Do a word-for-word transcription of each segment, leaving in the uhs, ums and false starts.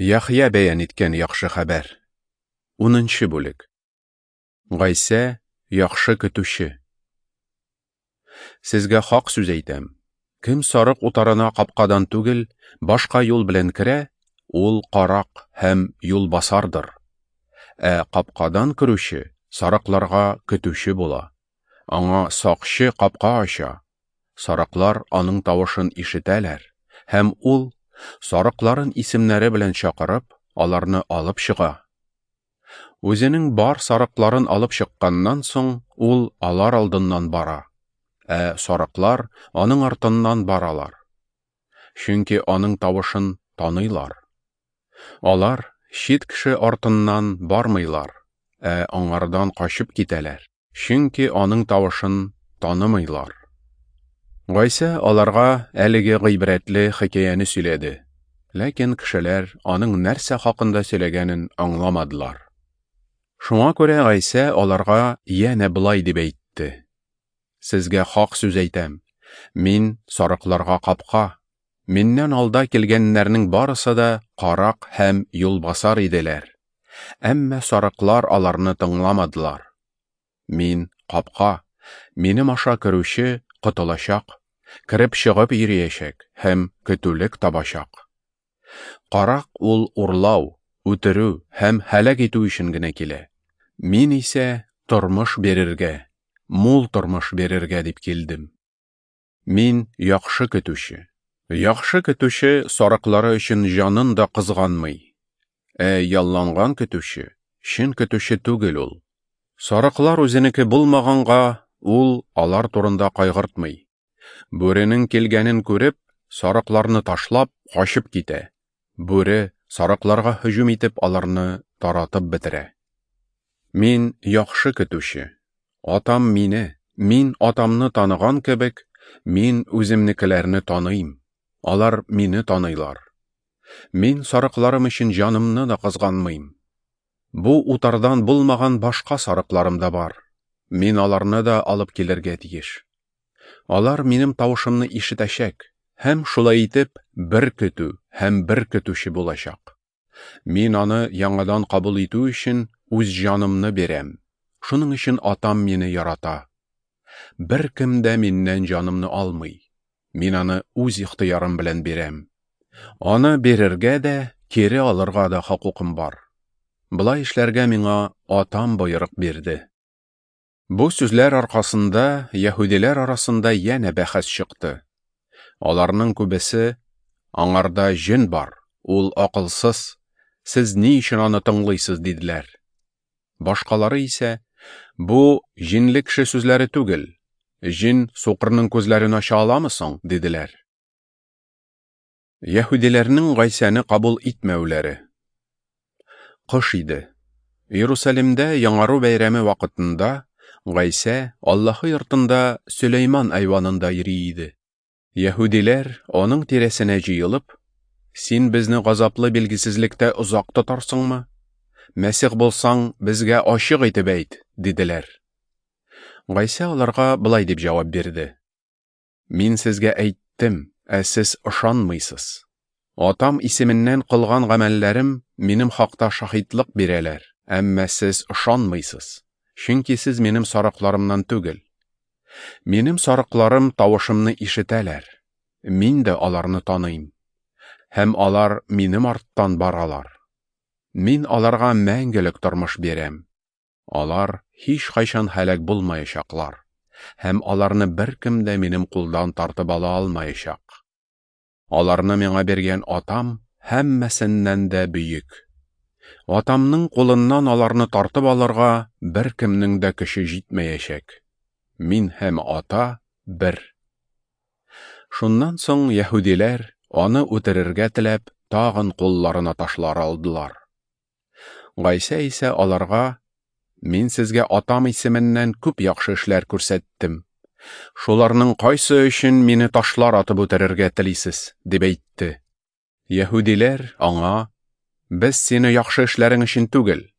Яхъя бәян иткән яхшы хәбәр. Унынчы бүлек. Гайсә яхшы көтүче. Сезгә хак сүз әйтәм. Кем сарык утарына капкадан түгел, башка юл белән керә, ул карак һәм юлбасардыр. Ә капкадан керүче сарыкларга көтүче була. Аңа сакчы капка ача. Сарыклар аның тавышын ишетәләр, һәм ул сарыкларын исемнәре белән чакырып, аларны алып чыга. Үзенең бар сарыкларын алып чыкканнан соң, ул алар алдыннан бара, ә сарыклар аның артыннан баралар. Чөнки аның тавышын таныйлар. Алар чит кеше артыннан бармыйлар, ә аңардан качып китәләр, чөнки аның тавышын танымыйлар. Гайсә аларга әлеге гыйбрәтле хикәяне сөйләде, ләкин кешеләр аның нәрсә хакында сөйләгәнен аңламадылар. Шуңа күрә Гайсә аларга янә болай дип әйтте: Сезгә хак сүз әйтәм, мин сарыкларга капка. Миннән алда килгәннәрнең барысы да карак һәм юлбасар иделәр. Әмма сарыклар аларны тыңламадылар. Мин капка, минем аша керүче котылачак, кереп чыгып йөриячәк һәм көтүлек табачак. Карак ул урлау, үтерү һәм һәлак итү өчен генә килә. Мин исә тормыш бирергә, мул тормыш бирергә дип килдем. Мин яхшы көтүче. Яхшы көтүче сарыклары өчен җанын да кызганмый. Ә ялланган көтүче чын көтүче түгел ул. Сарыклар үзенеке булмаганга, ул алар турында кайгыртмый. Бүренең килгәнен күреп, сарыкларны ташлап, качып китә. Бүре сарыкларга һөҗүм итеп, аларны таратып бетерә. Мин яхшы көтүче. Атам мине, мин атамны таныган кебек, мин үземнекеләрне таныйм. Алар мине таныйлар. Мин сарыкларым өчен җанымны да кызганмыйм. Бу утардан булмаган башка сарыкларым да бар. Мин аларны да алып килергә тиеш. Алар минем тавышымны ишетәчәк һәм шулай итеп бер көтү һәм бер көтүче булачак. Мин аны яңадан кабул итү өчен үз җанымны бирәм. Шуның өчен атам мине ярата. Беркем дә миннән җанымны алмый. Мин аны үз ихтыярым белән бирәм. Аны бирергә дә, кире алырга да хокукым бар. Болай эшләргә миңа атам боерык бирде. Бу сүзләр аркасында яһүдиләр арасында янә бәхәс чыкты. Аларның күбесе: "Аңарда җен бар, ул акылсыз, сез ни өчен аны тыңлыйсыз?" диделәр. Башкалары исә: "Бу җинле кеше сүзләре түгел, җин сукырның күзләрен ача аламы соң?" диделәр. Яһүдиләрнең Гайсәне кабул итмәүләре. Кыш иде. Иерусалимдә Яңару бәйрәме вакытында Гайсә Аллаһы йортында Сөләйман айванында йөри иде. Яһүдиләр аның тирәсенә җыелып: "Син безне газаплы билгесезлектә озак тотарсыңмы? Мәсих булсаң, безгә ачык итеп әйт", диделәр. Гайсә аларга болай дип җавап бирде: "Мин сезгә әйттем, ә сез ышанмыйсыз. Атам исеменнән кылган гамәлләрем минем хакта шаһитлык бирәләр, әмма сез ышанмыйсыз, чөнки сез минем сарыкларымнан түгел. Минем сарыкларым тавышымны ишетәләр, мин дә аларны таныйм, һәм алар минем арттан баралар. Мин аларга мәңгелек тормыш бирәм. Алар һич кайчан һәлак булмаячаклар, һәм аларны беркем дә минем кулдан тартып ала алмаячак. Аларны миңа биргән атам һәммәсеннән дә бөек. Атамның кулыннан аларны тартып алырга беркемнең дә көче җитмәячәк. Мин һәм ата бер." Шуннан соң яһүдиләр аны үтерергә теләп, тагын кулларына ташлар алдылар. Гайсә исә аларга: "Мин сезгә атам исеменнән күп яхшы эшләр күрсәттем. Шуларның кайсы өчен мине ташлар атып үтерергә телисез?" дип әйтте. Яһүдиләр аңа: "Без сине яхшы эшләрең өчен түгел,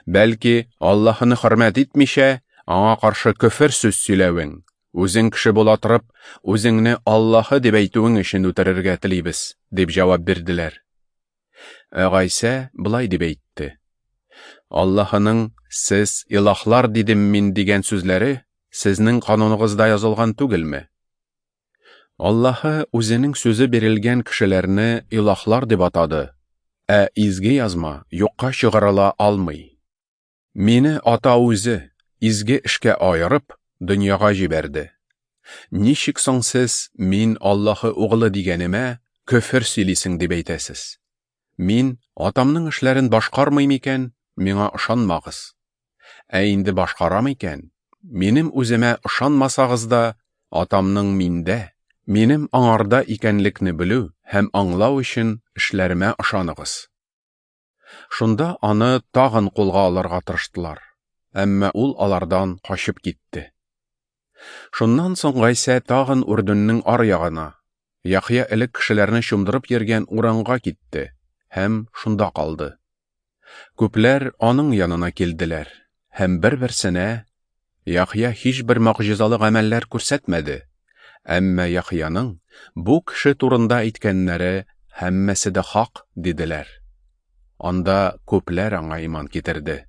бәлки Аллаһыны хөрмәт итмичә, аңа каршы көфер сүз сөйләвең, үзең кеше була торып, үзеңне Аллаһы дип әйтүең өчен үтерергә телибез", дип җавап бирделәр. Ә Гайсә болай дип әйтте: Аллаһының «Сез илаһлар дидем мин» дигән сүзләре сезнең кануныгызда язылган түгелме? Аллаһы үзенең сүзе бирелгән кешеләрне илаһлар дип атады, ә Изге Язма юкка чыгарыла алмый. Мине Ата үзе, изге эшкә аерып, дөньяга җибәрде. Ничек соң сез мин Аллаһы углы дигәнемә көфер сөйлисең дип әйтәсез? Мин Атамның эшләрен башкармыйм икән, миңа ышанмагыз. Ә инде башкарам икән, минем үземә ышанмасагыз да, Атамның миндә, минем аңарда икәнлекне белү һәм аңлау өчен эшләремә ышаныгыз. Шунда аны тагын кулга алырга тырыштылар, әмма ул алардан качып китте. Шуннан соң Гайсә тагын Үрдүннең ар ягына, Яхъя элек кешеләрне чумдырып йөргән урынга китте һәм шунда калды. Күпләр аның янына килделәр һәм бер-берсенә: Яхъя һичбер могҗизалы гамәлләр күрсәтмәде, әмма Яхъяның бу кеше турында әйткәннәре һәммәсе дә хак, диделәр. Анда күпләр аңа иман китерде.